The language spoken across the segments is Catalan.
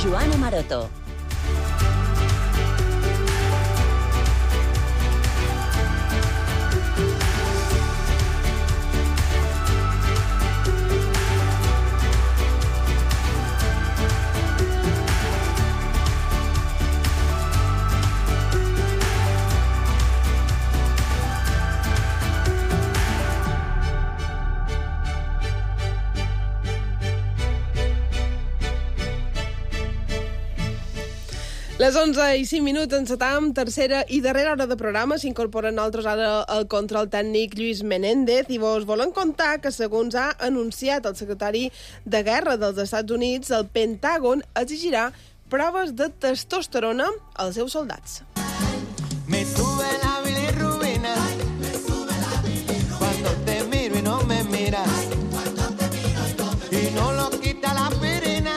Joana Maroto. Les 11:05 encetam tercera i darrera hora de programa. S'incorpora a nosaltres ara el control tècnic Lluís Menéndez i vos volem contar que, segons ha anunciat el secretari de Guerra dels Estats Units, el Pentàgon exigirà proves de testosterona als seus soldats. Me sube la bilirrubina cuando te miro y no me miras y no lo quita la aspirina.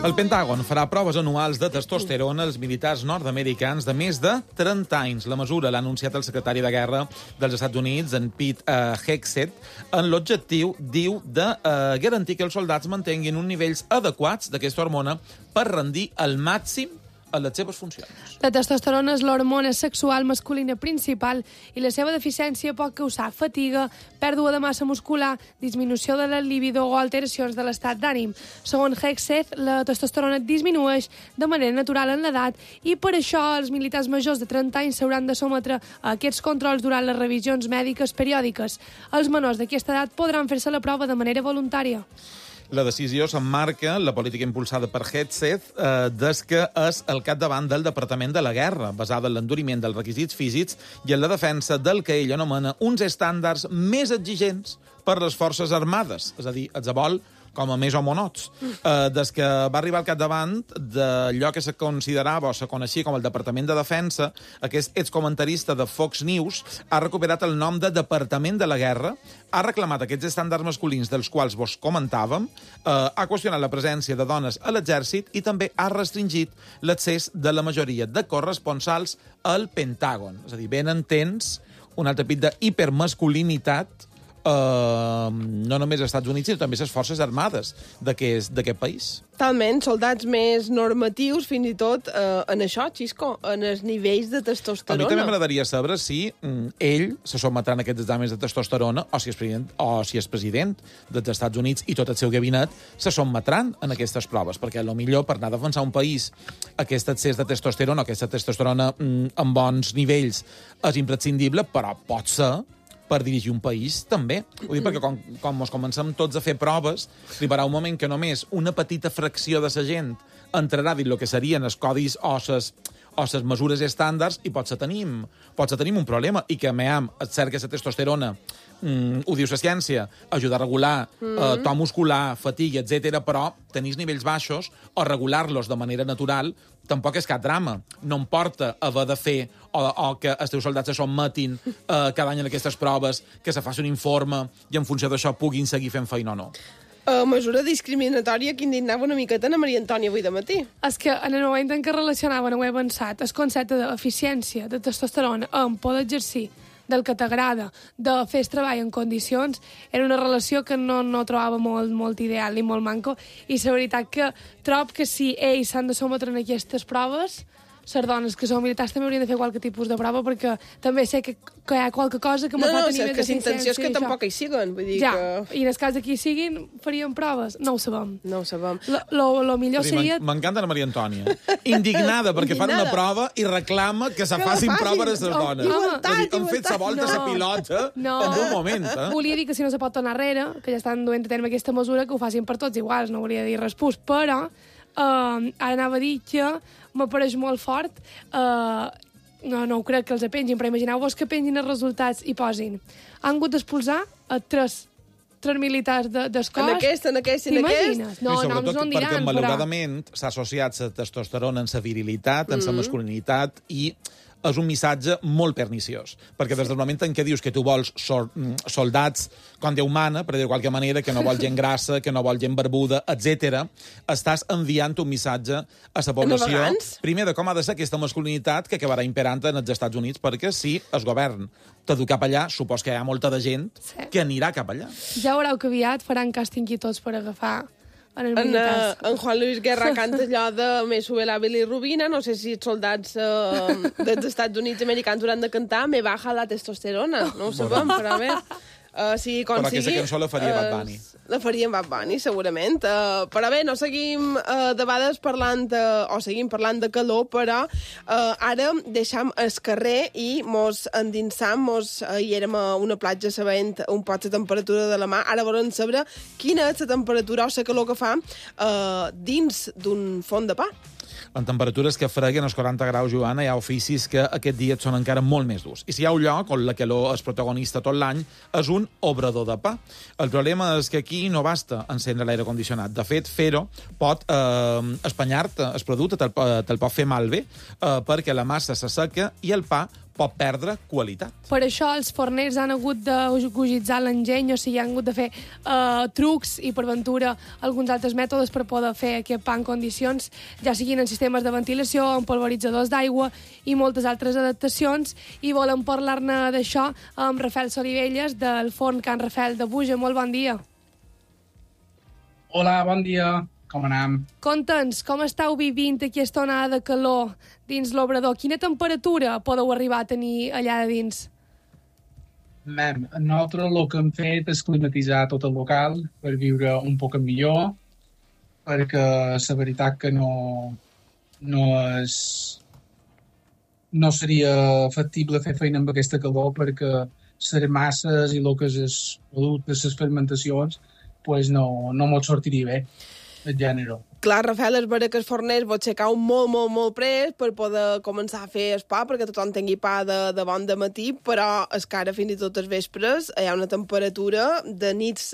El Pentàgon farà proves anuals de testosterona als militars nord-americans de més de 30 anys. La mesura l'ha anunciat el secretari de Guerra dels Estats Units, en Pete Hegseth, en l'objectiu, diu, de garantir que els soldats mantinguin uns nivells adequats d'aquesta hormona per rendir al màxim a les seves funcions. La testosterona és l'hormona sexual masculina principal i la seva deficiència pot causar fatiga, pèrdua de massa muscular, disminució de la libido o alteracions de l'estat d'ànim. Segons Hegseth, la testosterona disminueix de manera natural en l'edat i per això els militars majors de 30 anys s'hauran de sometre a aquests controls durant les revisions mèdiques periòdiques. Els menors d'aquesta edat podran fer-se la prova de manera voluntària. La decisió s'emmarca la política impulsada per Hegseth des que és al capdavant del Departament de la Guerra, basada en l'enduriment dels requisits físics i en la defensa del que ell anomena uns estàndards més exigents per les forces armades, és a dir, els vol com a més homonots. Des que va arribar al capdavant d'allò que se considerava o se coneixia com el Departament de Defensa, aquest excomentarista de Fox News ha recuperat el nom de Departament de la Guerra, ha reclamat aquests estàndards masculins dels quals vos comentàvem, ha qüestionat la presència de dones a l'exèrcit i també ha restringit l'accés de la majoria de corresponsals al Pentàgon. És a dir, ben entens un altre pit d'hipermasculinitat no només als Estats Units, sinó també les forces armades d'aquest país. Talment, soldats més normatius, fins i tot en això, Xisco, en els nivells de testosterona. A mi també m'agradaria saber si ell se sotmetrà a aquests exàmens de testosterona o si és president dels Estats Units i tot el seu gabinet se sotmetran a aquestes proves, perquè millor per anar a defensar un país aquest excés de testosterona, aquesta testosterona en bons nivells és imprescindible, però pot ser per dirigir un país, també. Ho dic perquè quan ens comencem tots a fer proves, arribarà un moment que només una petita fracció de la gent entrarà dins el que serien els codis o les mesures estàndards i potser tenim un problema. I que, és cert que la testosterona, ho diu la ciència, ajuda a regular to muscular, fatiga, etc, però tenir nivells baixos o regular-los de manera natural tampoc és cap drama. No em porta haver de fer o que els teus soldats se sotmetin cada any en aquestes proves, que se faci un informe i en funció d'això puguin seguir fent feina o no. Mesura discriminatòria que indignava una miqueta a Maria Antònia avui de matí. És que en el moment en què relacionaven, ho he pensat, el concepte d'eficiència de testosterona amb poder exercir del que t'agrada, de fer el treball en condicions, era una relació que no trobava molt ideal ni molt manco, i la veritat que trobo que si ells s'han de sometre en aquestes proves, les dones que són militars també haurien de fer qualque tipus de prova, perquè també sé que hi ha qualque cosa que me fa tenir més que l'intenció és que tampoc hi siguen. Vull dir I en el cas que hi siguin, faríem proves. No ho sabem. Lo millor seria... M'encanta la Maria Antònia. Indignada perquè fan una prova i reclama que se facin proves a les dones. Han fet la volta a la pilota en un moment. Volia dir que si no se pot tornar enrere, que ja estan duent a terme aquesta mesura, que ho facin per tots iguals, no volia dir res pus, però ara anava a dir que m'apareix molt fort, no ho crec que els pengin, però imagineu-vos que pengin els resultats i posin. Han hagut d'expulsar a tres militars del cos. En aquest. T'imagines? No ens ho diran, perquè malauradament s'ha associat la testosterona en la virilitat, en la masculinitat, i és un missatge molt perniciós, perquè des del moment en què dius que tu vols soldats com Déu mana, per dir de qualque manera, que no vols gent grassa, que no vols gent barbuda, etc., estàs enviant un missatge a la població, primer, de com ha de ser aquesta masculinitat que acabarà imperant en els Estats Units, perquè si el govern t'adu cap allà, supos que hi ha molta de gent que anirà cap allà. Ja veureu que aviat faran càsting i tots per agafar en els militars. En Juan Luis Guerra canta allò de Me sube la bilirrubina, no sé si els soldats dels Estats Units americans hauran de cantar Me baja la testosterona, no ho sabem, però bé. Sí, com però sigui, aquesta cançó la faria Bad Bunny. La faria Bad Bunny, segurament. Però bé, no seguim de vegades parlant o seguim parlant de calor, però ara deixam el carrer i mos endinsam, hi érem a una platja sabent un poc la temperatura de la mà. Ara volem saber quina és la temperatura o la calor que fa dins d'un forn de pa. En temperatures que freguen els 40 graus, Joana, hi ha oficis que aquest dia són encara molt més durs. I si hi ha un lloc on la calor és protagonista tot l'any, és un obrador de pa. El problema és que aquí no basta encendre l'aire condicionat. De fet, fer-ho pot espanyar-te el producte, te'l pot fer malbé, perquè la massa s'asseca i el pa pot perdre qualitat. Per això els forners han hagut de gogitzar l'enginy, o sigui, han hagut de fer trucs i, per ventura, alguns altres mètodes per poder fer aquest pa en condicions, ja siguin en sistemes de ventilació, en polvoritzadors d'aigua i moltes altres adaptacions. I volem parlar-ne d'això amb Rafael Solivelles, del forn Can Rafel de Buja. Molt bon dia. Hola, bon dia. Com anem? Conta'ns, com esteu vivint aquesta onada de calor dins l'obrador? Quina temperatura podeu arribar a tenir allà de dins? Nosaltres el que hem fet és climatitzar tot el local per viure un poc millor, perquè la veritat que no seria factible fer feina amb aquesta calor, perquè les masses i el que és els productes, les fermentacions, pues no mos sortiria bé. El gènere. Clar, Rafael, és vera que els forners vos aixecau molt prest per poder començar a fer el pa, perquè tothom tingui pa de bon dematí, però és que ara fins i tot els vespres hi ha una temperatura de nits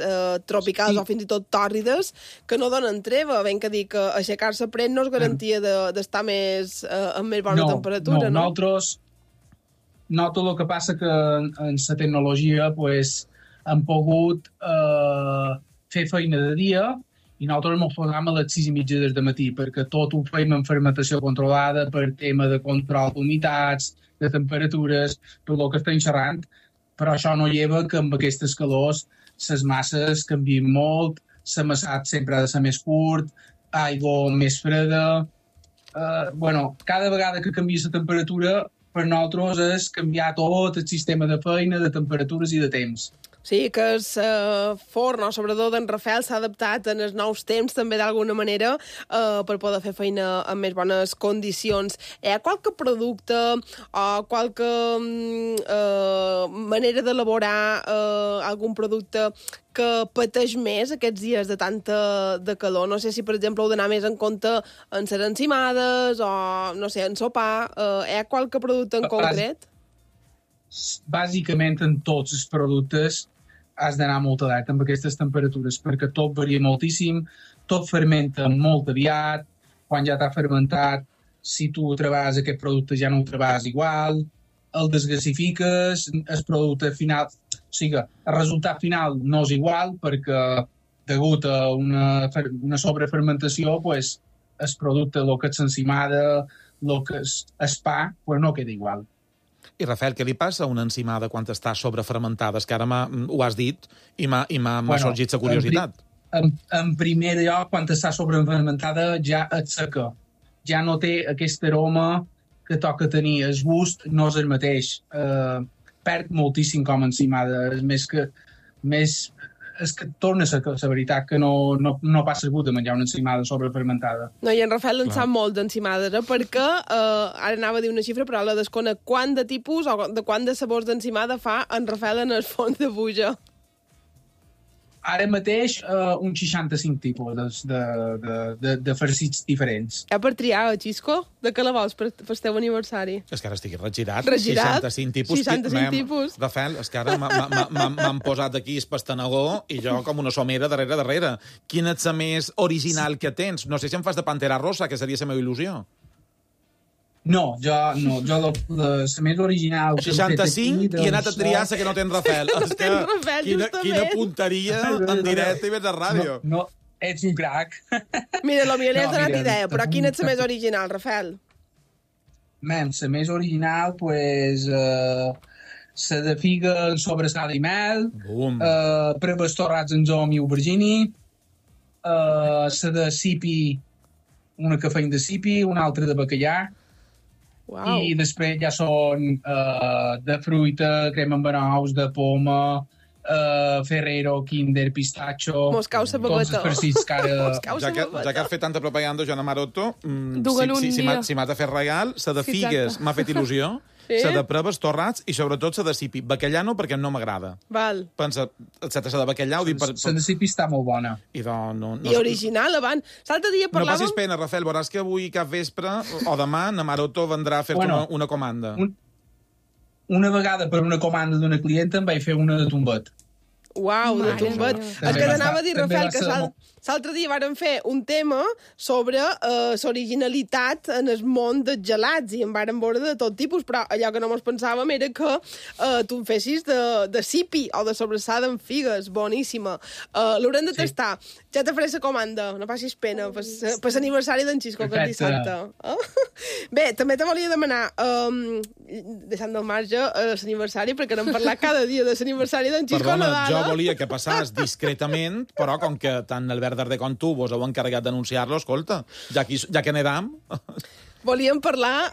tropicals o fins i tot tòrrides que no donen treva. Ben que dir que aixecar-se prest no és garantia d'estar amb més bona temperatura, no? Nosaltres el que passa que en la tecnologia pues, hem pogut fer feina de dia i nosaltres ens posam a les 6:30 del matí, perquè tot ho fem en fermentació controlada per tema de control d'humitats, de temperatures, tot el que estem xerrant, però això no lleva que amb aquestes calors les masses canvien molt, l'amassat sempre ha de ser més curt, aigua més freda. Cada vegada que canvia la temperatura, per nosaltres és canviar tot el sistema de feina, de temperatures i de temps. Sí, que el forn o sobretot d'en Rafael s'ha adaptat en els nous temps també d'alguna manera per poder fer feina en més bones condicions. Hi ha qualque producte o qualque manera d'elaborar algun producte que pateix més aquests dies de tanta de calor? No sé si, per exemple, heu d'anar més en compte en les encimades o, no sé, en sopar. Hi ha qualque producte en concret? Bàsicament, en tots els productes has d'anar molt alerta amb aquestes temperatures, perquè tot varia moltíssim, tot fermenta molt aviat, quan ja t'ha fermentat, si tu treballes aquest producte ja no ho treballes igual, el desgasifiques, el producte final, o sigui, el resultat final no és igual, perquè degut a una sobrefermentació, pues, el producte, el que és l'encimada, el que és el pa, pues, no queda igual. I, Rafael, què li passa a una encimada quan està sobrefermentada? És que ara ho has dit i m'ha sorgit la curiositat. En primer lloc, quan està sobrefermentada ja et seca. Ja no té aquest aroma que toca tenir. El gust no és el mateix. Perd moltíssim com a encimada. És que torna a ser la veritat que no passa gust de menjar una encimada sobrefermentada. No, i en Rafael en sap molt d'encimades, perquè ara anava a dir una xifra, però la desconec. Quant de tipus o de quant de sabors d'encimada fa en Rafael en el forn de Buja? Ara mateix, uns 65 tipus de farcits diferents. Ja per triar, Xisco? De què la vols per el teu aniversari? És que ara estic regirat. 65 tipus. 65 tipus. Rafael, és que ara m'han posat aquí el pastanagó i jo com una somera darrere. Quina és la més original que tens? No sé si em fas de Pantera Rosa, que seria la meva il·lusió. No, la més original... 65 i he anat a triar la que no tens Rafel. És que, Rafel, quina punteria en directe i vens a ràdio. No, ets un crac. Mira, potser li has donat mira, idea, però quina és la més original, Rafel? La més original, pues... la de figa en sobrassada i mel, preves torrats en zom i aubergini, la de sipi, una que feim de sipi, una altra de bacallà, Wow. i després ja són de fruita, crema amb nous, de poma, Ferrero, Kinder, Pistacho... Moscau sababeta. Tots els farcits que ara... Ja que has fet tanta propaganda, Joana Maroto, Duguen un dia. si m'has de fer regal, la de Sí, figues exacte. m'ha fet il·lusió, Sí? la de preves torrats i sobretot la de sipi. Bacallà no, perquè no m'agrada. Val. Pensa, excepte la de bacallà, ho dic per... La de sipi està molt bona. I no, I original, abans. L'altre dia No parlàvem... passis pena, Rafel, veuràs que avui cap vespre o demà na Maroto vendrà a fer-te una comanda. Una vegada per una comanda d'una clienta em vaig fer una de tombet. Uau, de Mare tombet. meva. És que t'anava a dir, També Rafel, va que ser l'altre dia vàrem fer un tema sobre l'originalitat en el món dels gelats i en vàrem veure de tot tipus, però allò que no mos pensàvem era que tu en fessis de sipi o de sobrassada amb figues, boníssima. L'haurem de tastar. Ja te faré la comanda, no passis pena, per l'aniversari d'en Xisco, que és dissabte. Bé, també te volia demanar, deixant del marge l'aniversari, perquè n'hem parlat cada dia de l'aniversari d'en Xisco Perdona, Nadal. jo volia que passàs discretament, però com que tant Albert Darder com tu vos heu encarregat d'anunciar-lo, escolta, ja que n'edam... Volíem parlar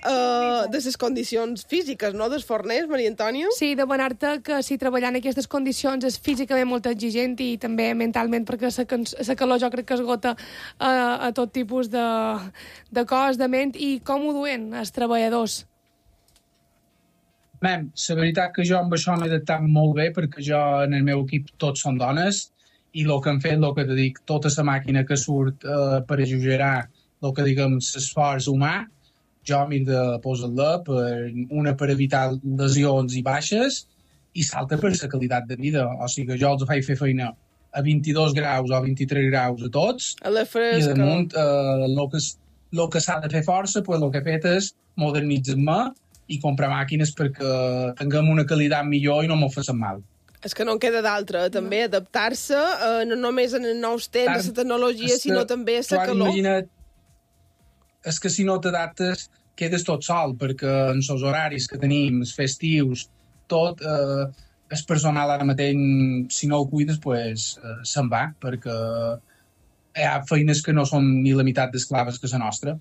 de les condicions físiques, no?, dels forners, Maria Antònia? Sí, demanar-te que si treballar en aquestes condicions és físicament molt exigent i també mentalment, perquè la calor jo crec que esgota a tot tipus de cos, de ment, i com ho duen els treballadors? La veritat que jo amb això m'he adaptat molt bé, perquè jo en el meu equip tots són dones, i el que hem fet, el que te dic, tota la màquina que surt per exagerar el que diguem l'esforç humà, jo m'he de posar-la per evitar lesions i baixes i salta per la qualitat de vida. O sigui que jo els faig fer feina a 22 graus o 23 graus a tots, A la i fresca. damunt el que s'ha de fer força, pues, el que he fet és modernitzar-me i comprar màquines perquè tinguem una qualitat millor i no m'ho facin mal. És que no en queda d'altra, també, adaptar-se no només en els nous temps, a la tecnologia, sinó també a la calor. Imagina't, és que si no t'adaptes quedes tot sol, perquè en els horaris que tenim, els festius, tot, el personal ara mateix, si no el cuides, pues, se'n va, perquè hi ha feines que no són ni la meitat d'esclaves que la nostra.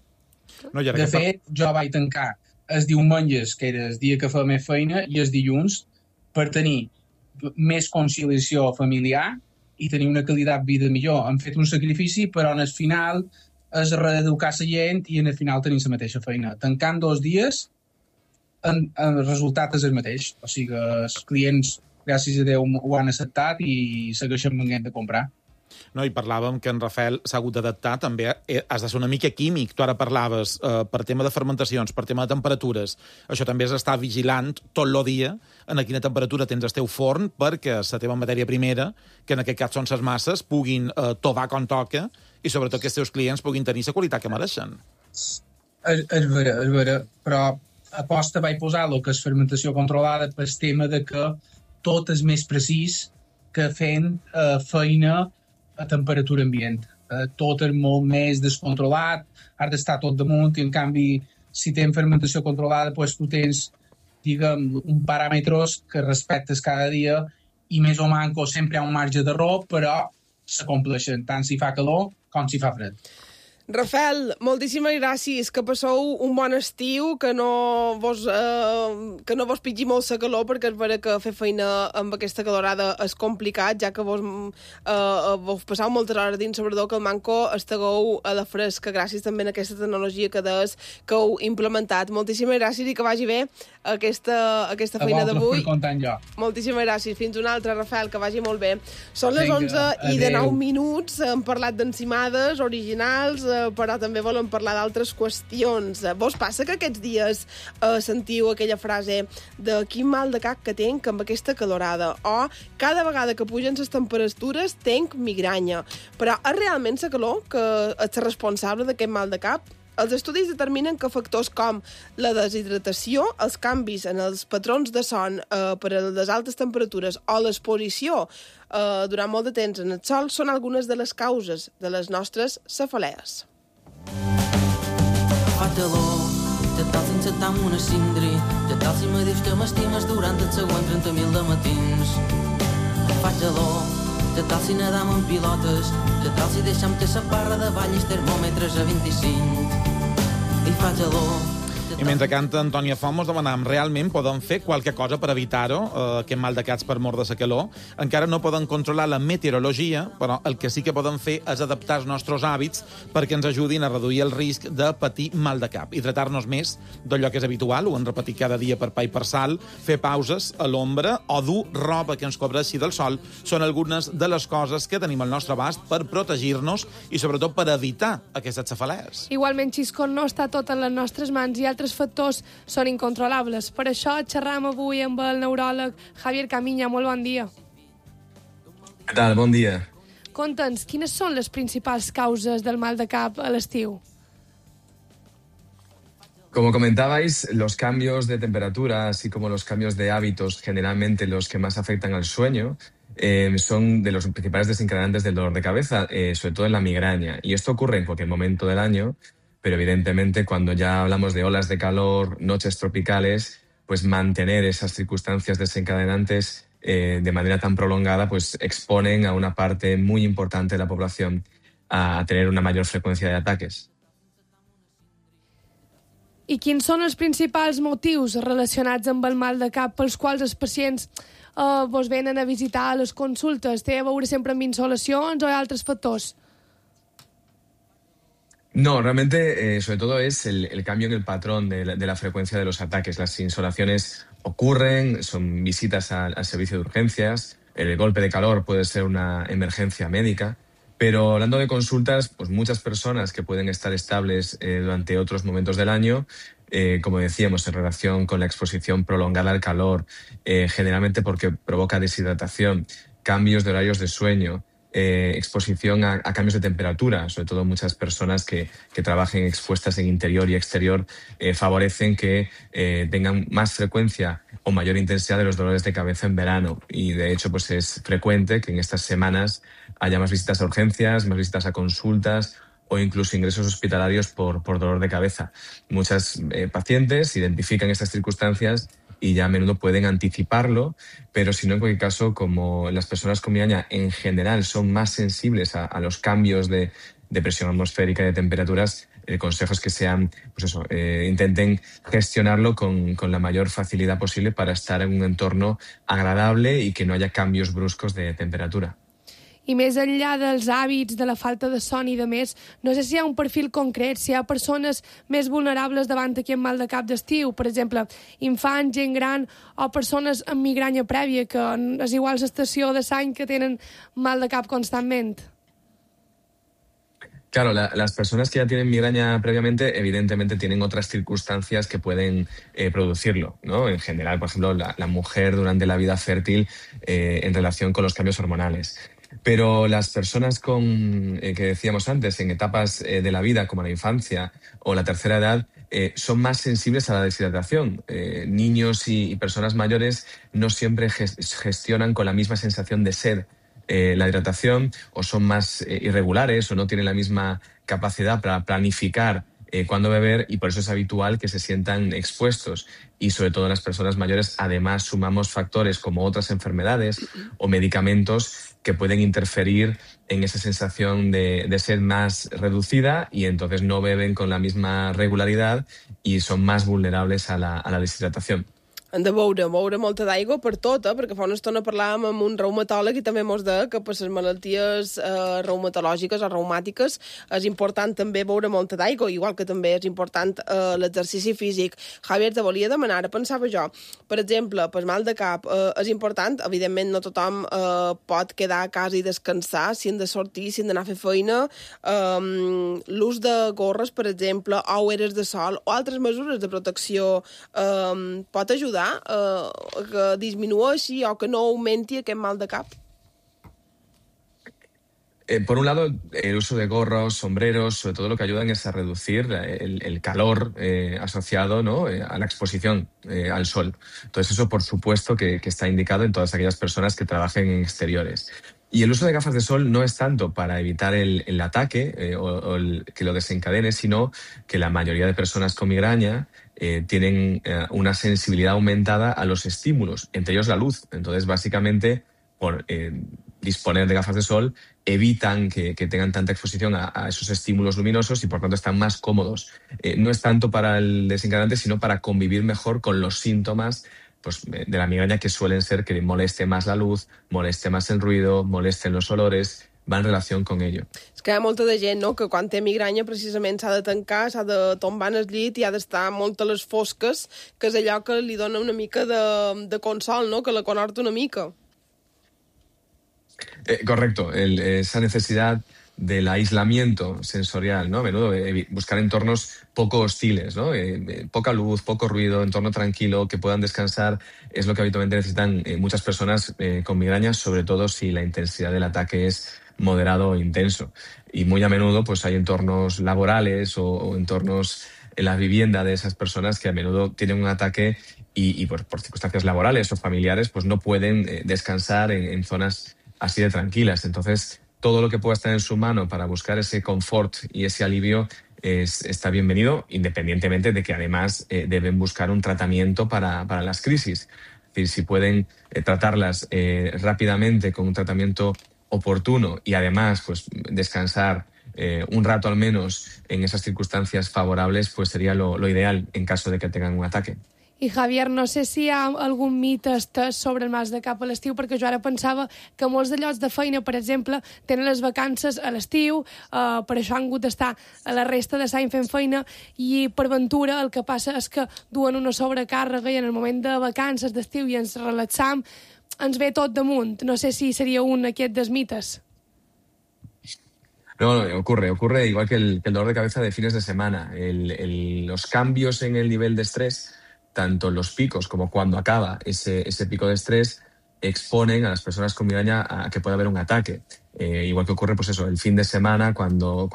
No, i ara De que fet, jo vaig tancar els diumenges, que era el dia que feia més feina, i els dilluns, per tenir més conciliació familiar i tenir una qualitat de vida millor. Hem fet un sacrifici, però en el final és reeducar la gent i en el final tenim la mateixa feina. Tancant 2 dies, el resultat és el mateix. O sigui que els clients, gràcies a Déu, ho han acceptat i segueixen venint de comprar. No, i parlàvem que en Rafel s'ha hagut d'adaptar, també has de ser una mica químic. Tu ara parlaves per tema de fermentacions, per tema de temperatures. Això també és estar vigilant tot el dia en a quina temperatura tens el teu forn perquè la teva matèria primera, que en aquest cas són les masses, puguin tovar com toca i sobretot que els teus clients puguin tenir la qualitat que mereixen. És vera, però aposta vaig posar el que és fermentació controlada pel tema de que tot és més precís que fent feina a temperatura ambient. Tot és molt més descontrolat, has d'estar tot damunt, i en canvi, si tens fermentació controlada, doncs tu tens, diguem, un paràmetres que respectes cada dia i més o manco sempre hi ha un marge d'error, però s'acompleixen, tant si fa calor com si fa fred. Rafel, moltíssimes gràcies, que passeu un bon estiu, que no vos pitgi molt la calor, perquè és vera que fer feina amb aquesta calorada és complicat, ja que vos passeu moltes hores dins, sobretot que el manco estigueu a la fresca, gràcies també a aquesta tecnologia que heu implementat. Moltíssimes gràcies i que vagi bé aquesta feina d'avui. Moltíssimes gràcies. Fins una altra, Rafel, que vagi molt bé. Són les 11:09 minuts, hem parlat d'encimades originals, però també volem parlar d'altres qüestions. Vos passa que aquests dies sentiu aquella frase de quin mal de cap que tenc amb aquesta calorada, o cada vegada que pugen les temperatures tenc migranya? Però és realment la calor que és responsable d'aquest mal de cap? Els estudis determinen que factors com la deshidratació, els canvis en els patrons de son per a les altes temperatures o l'exposició durant molt de temps en el sol són algunes de les causes de les nostres cefalees. Fa calor, ja tal sense tam una cindri, ja tal si me dius que m'estimes durant els següents 30.000 de matins. Fa calor, ja tal si nedam en pilotes, ja tal si deixam que sa parra de ball i termòmetres a 25. I fa calor. I mentre canta Antònia Font, mos demanàvem, realment poden fer qualque cosa per evitar-ho, aquest mal de caps per mort de la calor? Encara no poden controlar la meteorologia, però el que sí que poden fer és adaptar els nostres hàbits perquè ens ajudin a reduir el risc de patir mal de cap. Hidratar-nos més d'allò que és habitual, ho hem repetit cada dia per pa i per sal, fer pauses a l'ombra o dur roba que ens cobreixi del sol són algunes de les coses que tenim al nostre abast per protegir-nos i sobretot per evitar aquestes cefalees. Igualment, Xisco, no està tot en les nostres mans i altres factors són incontrolables. Per això xerram avui amb el neuròleg Javier Camiña. Molt bon dia. Què tal? Bon dia. Conta'ns, quines són les principals causes del mal de cap a l'estiu? Como comentabais, los cambios de temperatura, así como los cambios de hábitos, generalmente los que más afectan al sueño, son de los principales desencadenantes del dolor de cabeza, sobre todo en la migraña. Y esto ocurre en cualquier momento del año, pero evidentemente cuando ya hablamos de olas de calor, noches tropicales, pues mantener esas circunstancias desencadenantes de manera tan prolongada, pues exponen a una parte muy importante de la población a tener una mayor frecuencia de ataques. I quins són els principals motius relacionats amb el mal de cap pels quals els pacients vos venen a visitar a les consultes? Té a veure sempre amb insolacions o altres factors? No, realmente, sobre todo es el cambio en el patrón de la frecuencia de los ataques. Las insolaciones ocurren, son visitas al servicio de urgencias, el golpe de calor puede ser una emergencia médica, pero hablando de consultas, pues muchas personas que pueden estar estables durante otros momentos del año, como decíamos, en relación con la exposición prolongada al calor, generalmente porque provoca deshidratación, cambios de horarios de sueño, exposición a cambios de temperatura, sobre todo muchas personas que trabajen expuestas en interior y exterior, favorecen que tengan más frecuencia o mayor intensidad de los dolores de cabeza en verano. Y de hecho, pues es frecuente que en estas semanas haya más visitas a urgencias, más visitas a consultas o incluso ingresos hospitalarios por dolor de cabeza. Muchas pacientes identifican estas circunstancias y ya a menudo pueden anticiparlo, pero si no, en cualquier caso, como las personas con migraña en general son más sensibles a los cambios de presión atmosférica y de temperaturas, el consejo es que sean, pues eso, intenten gestionarlo con la mayor facilidad posible para estar en un entorno agradable y que no haya cambios bruscos de temperatura. I més enllà dels hàbits, de la falta de son i de més, no sé si hi ha un perfil concret, si hi ha persones més vulnerables davant aquest mal de cap d'estiu, per exemple, infants, gent gran o persones amb migranya prèvia, que és igual l'estació de l'any que tenen mal de cap constantment. Claro, las personas que ya tienen migraña previamente, evidentemente tienen otras circunstancias que pueden producirlo, ¿no? En general, por ejemplo, la mujer durante la vida fértil en relación con los cambios hormonales. Pero las personas que decíamos antes, en etapas de la vida, como la infancia o la tercera edad, son más sensibles a la deshidratación. Niños y personas mayores no siempre gestionan con la misma sensación de sed la hidratación, o son más irregulares o no tienen la misma capacidad para planificar cuándo beber, y por eso es habitual que se sientan expuestos. Y sobre todo en las personas mayores, además, sumamos factores como otras enfermedades o medicamentos que pueden interferir en esa sensación de sed más reducida, y entonces no beben con la misma regularidad y son más vulnerables a la deshidratación. Hem de beure molta d'aigua per tot, perquè fa una estona parlàvem amb un reumatòleg i també mos deia que per les malalties reumatològiques o reumàtiques és important també beure molta d'aigua, igual que també és important l'exercici físic. Javier, te volia demanar, pensava jo, per exemple, per mal de cap, és important, evidentment no tothom pot quedar a casa i descansar, si han de sortir, si han d'anar a fer feina, l'ús de gorres, per exemple, o ulleres de sol o altres mesures de protecció pot ajudar que disminueixi o que no augmenti aquest mal de cap? Por un lado, el uso de gorros, sombreros, sobre todo lo que ayudan es a reducir el calor asociado, ¿no?, a la exposición al sol. Entonces eso, por supuesto, que está indicado en todas aquellas personas que trabajen en exteriores. Y el uso de gafas de sol no es tanto para evitar el ataque o que lo desencadene, sino que la mayoría de personas con migraña tienen una sensibilidad aumentada a los estímulos, entre ellos la luz. Entonces, básicamente, por disponer de gafas de sol, evitan que tengan tanta exposición a esos estímulos luminosos y, por tanto, están más cómodos. No es tanto para el desencadenante, sino para convivir mejor con los síntomas pues, de la migraña, que suelen ser que moleste más la luz, moleste más el ruido, molesten los olores, va en relació con ello. És que hi ha molta de gent, no?, que quan té migranya precisament s'ha de tancar, s'ha de tombar en el llit i ha d'estar molt a les fosques, que és allò que li dona una mica de consol, no?, que la conhorta una mica. Correcto, esa necesidad del aislamiento sensorial, ¿no? A menudo buscar entornos poco hostiles, ¿no? Poca luz, poco ruido, entorno tranquilo, que puedan descansar, es lo que habitualmente necesitan muchas personas con migraña, sobre todo si la intensidad del ataque es moderado o intenso. Y muy a menudo pues hay entornos laborales o entornos en la vivienda de esas personas que a menudo tienen un ataque y por circunstancias laborales o familiares pues no pueden descansar en zonas así de tranquilas. Entonces, todo lo que pueda estar en su mano para buscar ese confort y ese alivio está bienvenido, independientemente de que además deben buscar un tratamiento para las crisis. Es decir, si pueden tratarlas rápidamente con un tratamiento oportuno y además pues descansar un rato al menos en esas circunstancias favorables, pues sería lo ideal en caso de que tengan un ataque. I, Javier, no sé si hi ha algun mite estès sobre el Mas de Cap a l'estiu, perquè jo ara pensava que molts de llocs de feina, per exemple, tenen les vacances a l'estiu, per això han hagut d'estar a la resta de l'any fent feina, i per ventura el que passa és que duen una sobrecàrrega i en el moment de vacances d'estiu i ens relaxam, ens ve tot damunt. No sé si seria un d'aquests dels mites. No, ocurre igual que el dolor de cabeza de fines de semana. Los cambios en el nivel de estrés, tanto los picos como cuando acaba ese pico de estrés, exponen a las personas con migraña a que pueda haber un ataque. Igual que ocurre pues eso, el fin de semana, cuando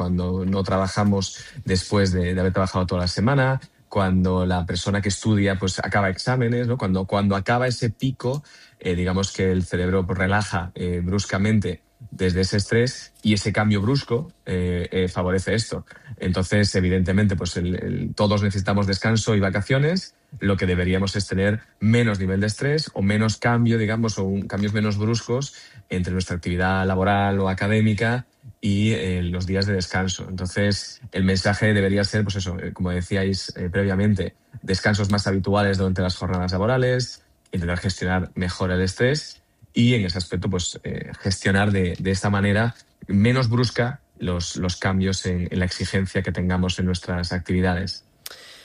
no trabajamos después de haber trabajado toda la semana, cuando la persona que estudia pues acaba exámenes, ¿no? Cuando acaba ese pico, digamos que el cerebro pues, relaja bruscamente desde ese estrés y ese cambio brusco favorece esto. Entonces, evidentemente, pues todos necesitamos descanso y vacaciones. Lo que deberíamos es tener menos nivel de estrés o menos cambio, digamos, o cambios menos bruscos entre nuestra actividad laboral o académica y los días de descanso. Entonces, el mensaje debería ser, pues eso, como decíais previamente, descansos más habituales durante las jornadas laborales, intentar gestionar mejor el estrés y en ese aspecto pues gestionar de esta manera menos brusca los cambios en la exigencia que tengamos en nuestras actividades.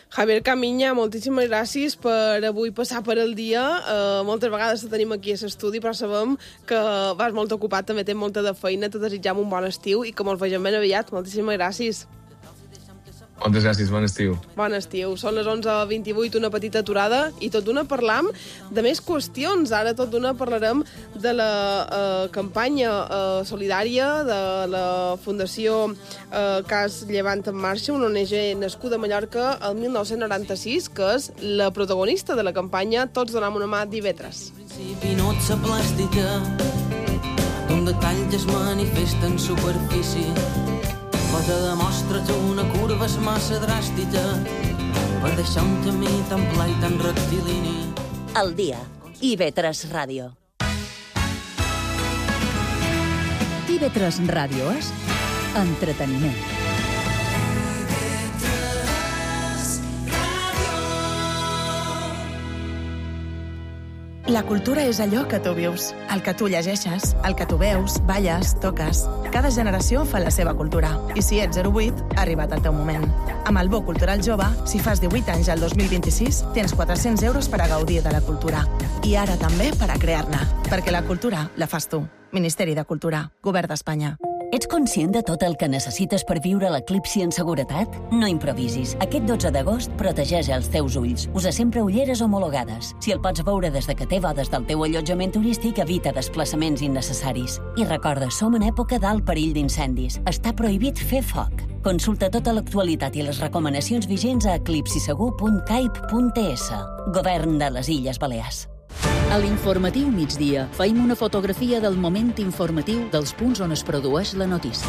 Javier Camiña, moltíssimes gràcies per avui passar per el dia. Moltes vegades te tenim aquí a l'estudi, però sabem que vas molt ocupat, també tens molta de feina. Te desitjam un bon estiu i que mos vegem ben aviat. Moltíssimes gràcies. Moltes gràcies, bon estiu. Bon estiu. Són les 11:28, una petita aturada, i tot d'una parlam de més qüestions. Ara tot d'una parlarem de la campanya solidària de la Fundació Cas Llevant en Marxa, una ONG nascuda a Mallorca el 1996, que és la protagonista de la campanya Tots donem una mà d'Ivetres. Pinotsa plàstica d'un detall que es manifesta en superfície. Cosa demostra que una curva és massa dràstica per deixar un camí tan pla i tan rectilini. El dia. IB3 Ràdio. IB3 Ràdio és entreteniment. La cultura és allò que tu vius, el que tu llegeixes, el que tu veus, balles, toques. Cada generació fa la seva cultura. I si ets 08, ha arribat el teu moment. Amb el Bo Cultural Jove, si fas 18 anys al 2026, tens 400 euros per a gaudir de la cultura. I ara també per a crear-ne. Perquè la cultura la fas tu. Ministeri de Cultura. Govern d'Espanya. Ets conscient de tot el que necessites per viure l'eclipsi en seguretat? No improvisis. Aquest 12 d'agost protegeix els teus ulls. Usa sempre ulleres homologades. Si el pots veure des de que té bodes del teu allotjament turístic, evita desplaçaments innecessaris. I recorda, som en època d'alt perill d'incendis. Està prohibit fer foc. Consulta tota l'actualitat i les recomanacions vigents a eclipsisegur.caip.es. Govern de les Illes Balears. A l'informatiu migdia feim una fotografia del moment informatiu dels punts on es produeix la notícia.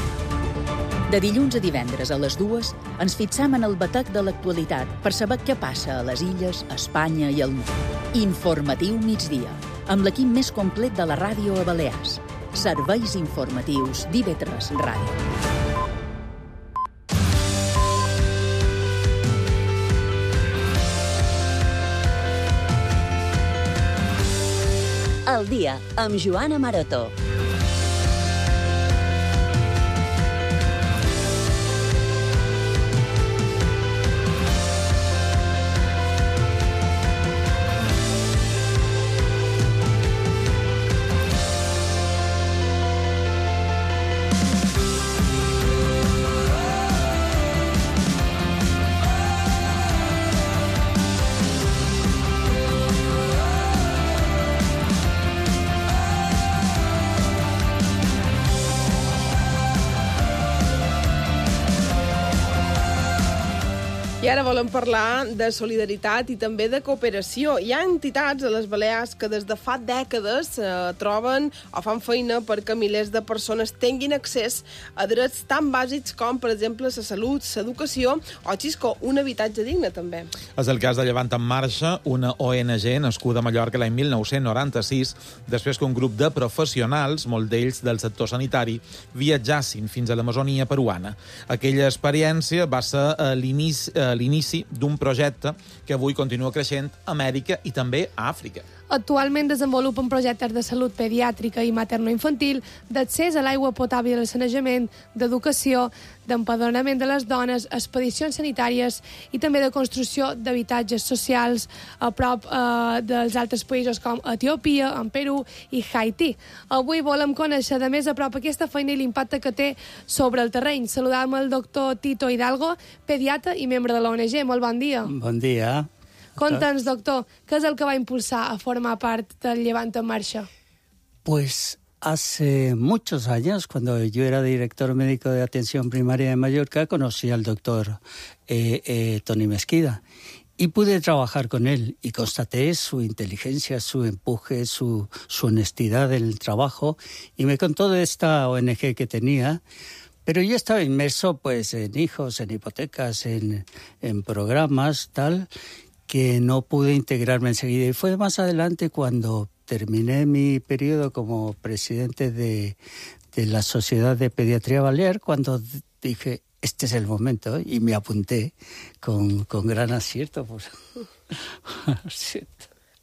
De dilluns a divendres a les 2 ens fixam en el batec de l'actualitat per saber què passa a les illes, a Espanya i al món. Informatiu migdia, amb l'equip més complet de la ràdio a Balears. Serveis informatius d'IV3 Ràdio. El dia, amb Joana Maroto. I ara volem parlar de solidaritat i també de cooperació. Hi ha entitats a les Balears que des de fa dècades troben o fan feina perquè milers de persones tinguin accés a drets tan bàsics com, per exemple, la salut, l'educació o, xisco, un habitatge digne, també. És el cas de Llevant en Marxa, una ONG nascuda a Mallorca l'any 1996, després que un grup de professionals, molt d'ells del sector sanitari, viatjassin fins a l'Amazonia peruana. Aquella experiència va ser l'inici d'un projecte que avui continua creixent a Amèrica i també a Àfrica. Actualment desenvolupen projectes de salut pediàtrica i materno-infantil, d'accés a l'aigua potable i al sanejament, d'educació, d'empadronament de les dones, expedicions sanitàries i també de construcció d'habitatges socials a prop dels altres països com Etiòpia, en Perú i Haití. Avui volem conèixer de més a prop aquesta feina i l'impacte que té sobre el terreny. Saludem el doctor Tito Hidalgo, pediatra i membre de l'ONG. Molt bon dia. Bon dia. Conta'ns, doctor, què és el que va impulsar a formar part del Llevant en Marxa? Pues hace muchos años, cuando yo era director médico de atención primaria de Mallorca, conocí al doctor Toni Mesquida y pude trabajar con él y constaté su inteligencia, su empuje, su honestidad en el trabajo y me contó de esta ONG que tenía. Pero yo estaba inmerso pues en hijos, en hipotecas, en programas, tal, que no pude integrarme enseguida. Y fue más adelante cuando terminé mi periodo como presidente de la Sociedad de Pediatría Balear, cuando dije, este es el momento, y me apunté con gran acierto. Pues.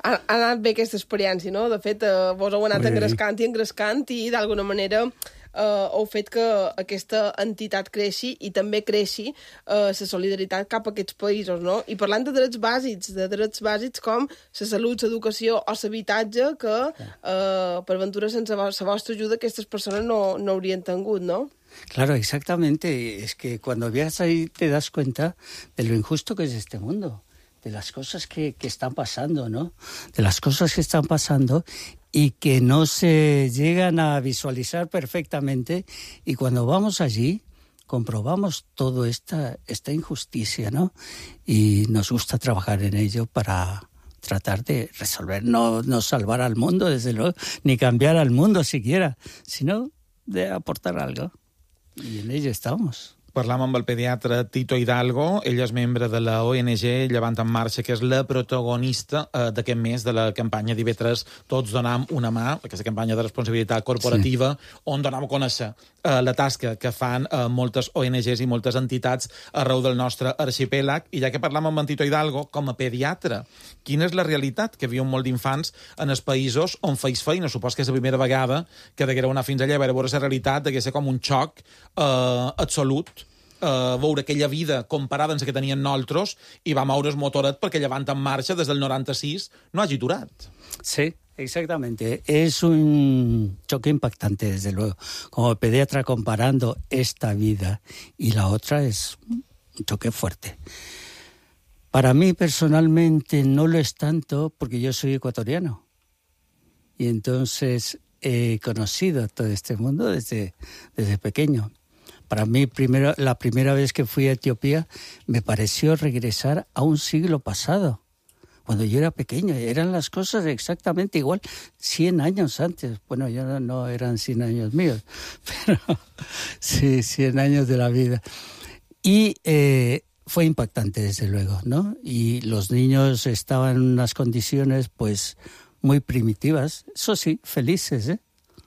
Ha anat bé aquesta experiència, no? De fet, vos heu anat engrescant i d'alguna manera heu fet que aquesta entitat creixi i també creixi la solidaritat cap a aquests països, no? I parlant de drets bàsics com la salut, l'educació o l'habitatge, que per ventura sense la vostra ajuda aquestes persones no haurien tingut, no? Claro, exactamente. Es que cuando viajas ahí te das cuenta de lo injusto que es este mundo, de las cosas que están pasando, ¿no? De las cosas que están pasando y que no se llegan a visualizar perfectamente. Y cuando vamos allí, comprobamos toda esta injusticia, ¿no? Y nos gusta trabajar en ello para tratar de resolver, no salvar al mundo, desde luego, ni cambiar al mundo siquiera, sino de aportar algo. I en ello estamos. Parlam amb el pediatre Tito Hidalgo. Ell és membre de la ONG Llevant en Marxa, que és la protagonista d'aquest mes de la campanya d'IV3 Tots donam una mà, aquesta campanya de responsabilitat corporativa, on donem a conèixer la tasca que fan moltes ONGs i moltes entitats arreu del nostre arxipèlag. I ja que parlam amb en Tito Hidalgo, com a pediatre, quina és la realitat que viuen molt d'infants en els països on feis feina? Supos que és la primera vegada que deguereu anar fins allà a veure la realitat, degué ser com un xoc absolut, veure aquella vida comparada amb la que tenien nosaltres i va moure el motoret perquè Llevant en Marxa des del 96 no hagi aturat. Sí, exactamente. Es un choque impactante, desde luego. Como pediatra, comparando esta vida y la otra, es un choque fuerte. Para mí, personalmente, no lo es tanto porque yo soy ecuatoriano. Y entonces he conocido todo este mundo desde pequeño. Para mí, la primera vez que fui a Etiopía, me pareció regresar a un siglo pasado. Cuando yo era pequeño, eran las cosas exactamente igual, 100 años antes. Bueno, ya no eran 100 años míos, pero sí, 100 años de la vida. Y fue impactante, desde luego, ¿no? Y los niños estaban en unas condiciones, pues, muy primitivas. Eso sí, felices, ¿eh?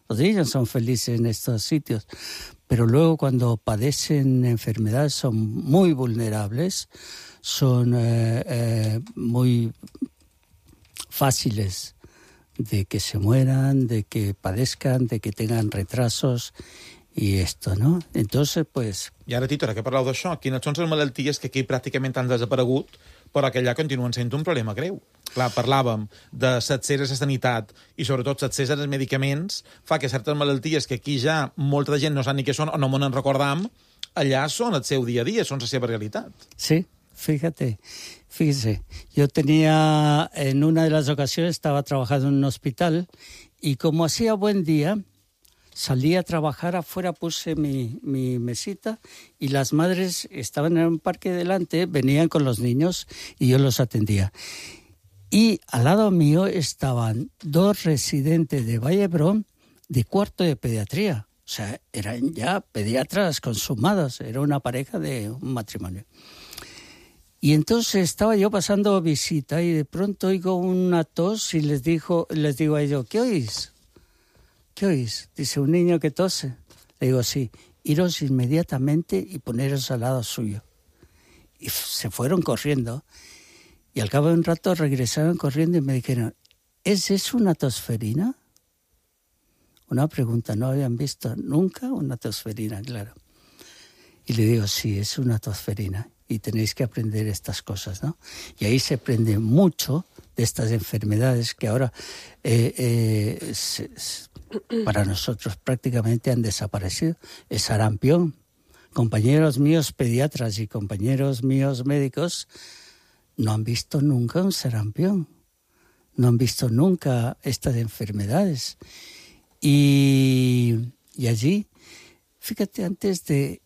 Los niños son felices en estos sitios. Pero luego, cuando padecen enfermedades, son muy vulnerables, son muy fáciles de que se mueran, de que padezcan, de que tengan retrasos i esto, no? Entonces, pues... I ara, Tito, ara que parleu d'això, quines són les malalties que aquí pràcticament han desaparegut, però que allà continuen sent un problema greu? Clar, parlàvem de l'accés a la sanitat i sobretot l'accés als medicaments, fa que certes malalties que aquí ja molta de gent no sap ni què són o no me'n recordam, allà són el seu dia a dia, són la seva realitat. Sí, fíjese, yo tenía, en una de las ocasiones estaba trabajando en un hospital y como hacía buen día, salí a trabajar afuera, puse mi mesita y las madres estaban en un parque delante, venían con los niños y yo los atendía. Y al lado mío estaban 2 residentes de Vallebrón de cuarto de pediatría. O sea, eran ya pediatras consumados, era una pareja de un matrimonio. Y entonces estaba yo pasando visita y de pronto oigo una tos y les digo a ellos, ¿qué oís? ¿Qué oís? Dice, un niño que tose. Le digo, sí, iros inmediatamente y poneros al lado suyo. Y se fueron corriendo. Y al cabo de un rato regresaron corriendo y me dijeron, ¿es eso una tosferina? Una pregunta, no habían visto nunca una tosferina, claro. Y le digo, sí, es una tosferina. Y tenéis que aprender estas cosas, ¿no? Y ahí se aprende mucho de estas enfermedades que ahora para nosotros prácticamente han desaparecido. El sarampión. Compañeros míos pediatras y compañeros míos médicos no han visto nunca un sarampión. No han visto nunca estas enfermedades. Y allí, fíjate, antes del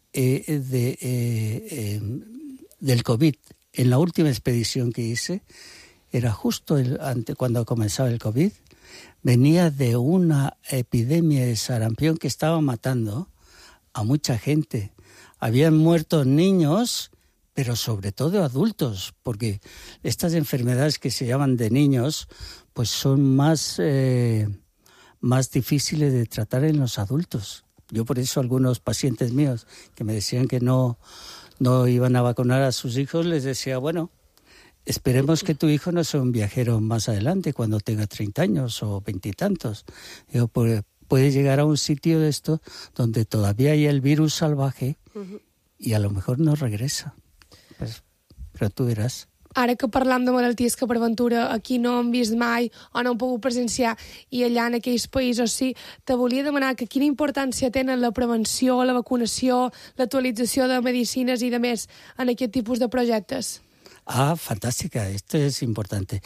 COVID, en la última expedición que hice, era justo cuando comenzaba el COVID, venía de una epidemia de sarampión que estaba matando a mucha gente. Habían muerto niños, pero sobre todo adultos, porque estas enfermedades que se llaman de niños, pues son más difíciles de tratar en los adultos. Yo por eso algunos pacientes míos que me decían que no iban a vacunar a sus hijos, les decía, bueno, esperemos que tu hijo no sea un viajero más adelante, cuando tenga 30 años o 20 y tantos. Digo, puede llegar a un sitio de esto donde todavía hay el virus salvaje y a lo mejor no regresa. Pues, però tu veràs. Ara que parlam de malalties que per ventura aquí no hem vist mai o no hem pogut presenciar i allà en aquells països sí, te volia demanar que quina importància tenen la prevenció, la vacunació, l'actualització de medicines i de més en aquest tipus de projectes. Ah, fantástica, esto es importante.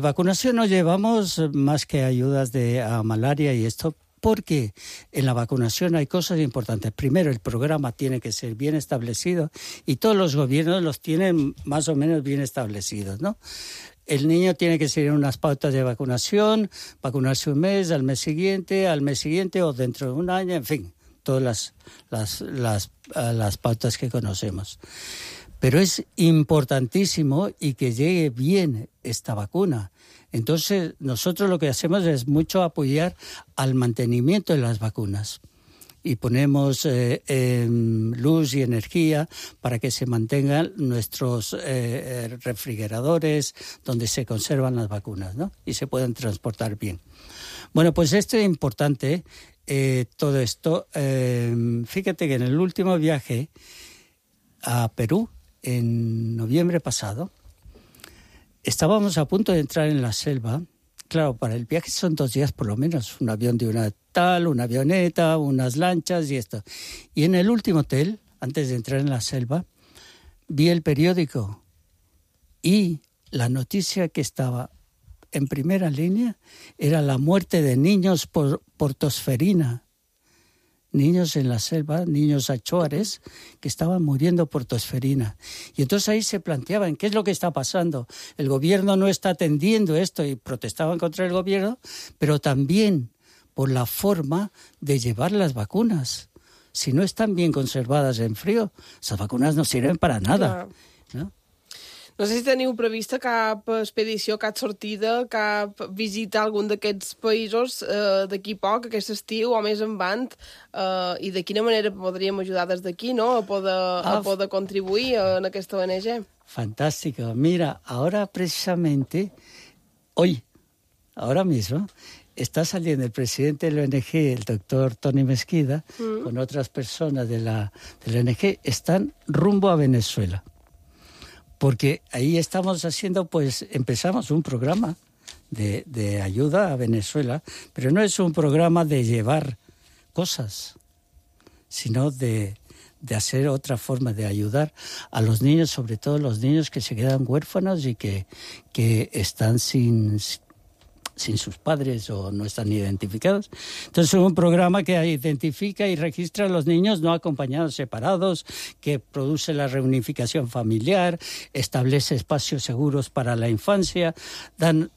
Vacunación no llevamos más que ayudas a malaria y esto, porque en la vacunación hay cosas importantes. Primero, el programa tiene que ser bien establecido y todos los gobiernos los tienen más o menos bien establecidos, ¿no? El niño tiene que seguir unas pautas de vacunación, vacunarse un mes, al mes siguiente o dentro de un año, en fin, todas las pautas que conocemos. Pero es importantísimo y que llegue bien esta vacuna. Entonces, nosotros lo que hacemos es mucho apoyar al mantenimiento de las vacunas. Y ponemos luz y energía para que se mantengan nuestros refrigeradores donde se conservan las vacunas, ¿no? Y se puedan transportar bien. Bueno, pues esto es importante, todo esto. Fíjate que en el último viaje a Perú, en noviembre pasado, estábamos a punto de entrar en la selva claro, para el viaje son 2 días por lo menos, un avión de una tal, una avioneta, unas lanchas y esto. Y en el último hotel, antes de entrar en la selva, vi el periódico y la noticia que estaba en primera línea era la muerte de niños por tosferina. Niños en la selva, niños achuares, que estaban muriendo por tosferina. Y entonces ahí se planteaban, ¿qué es lo que está pasando? El gobierno no está atendiendo esto y protestaban contra el gobierno, pero también por la forma de llevar las vacunas. Si no están bien conservadas en frío, esas vacunas no sirven para nada, ¿no? No sé si teniu prevista cap expedició, cap sortida, cap visita a algun d'aquests països d'aquí poc, aquest estiu o més endavant, i de quina manera podríem ajudar des d'aquí, no?, a poder contribuir en aquesta ONG. Fantástico. Mira, ahora precisamente, hoy, ahora mismo, está saliendo el presidente de la ONG, el doctor Tony Mesquida, con otras personas de la ONG, están rumbo a Venezuela. Porque ahí estamos haciendo, pues empezamos un programa de ayuda a Venezuela, pero no es un programa de llevar cosas, sino de hacer otra forma de ayudar a los niños, sobre todo los niños que se quedan huérfanos y que están sin sus padres o no están identificados. Entonces es un programa que identifica y registra a los niños no acompañados separados, que produce la reunificación familiar, establece espacios seguros para la infancia,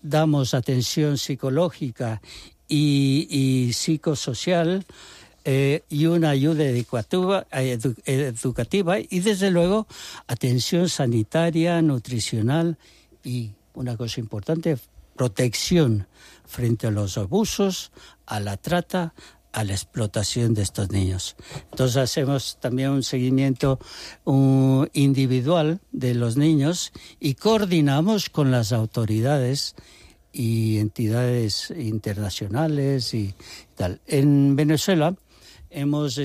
damos atención psicológica y psicosocial, y una ayuda educativa y desde luego atención sanitaria, nutricional y una cosa importante, protección frente a los abusos, a la trata, a la explotación de estos niños. Entonces hacemos también un seguimiento individual de los niños y coordinamos con las autoridades y entidades internacionales y tal. En Venezuela hemos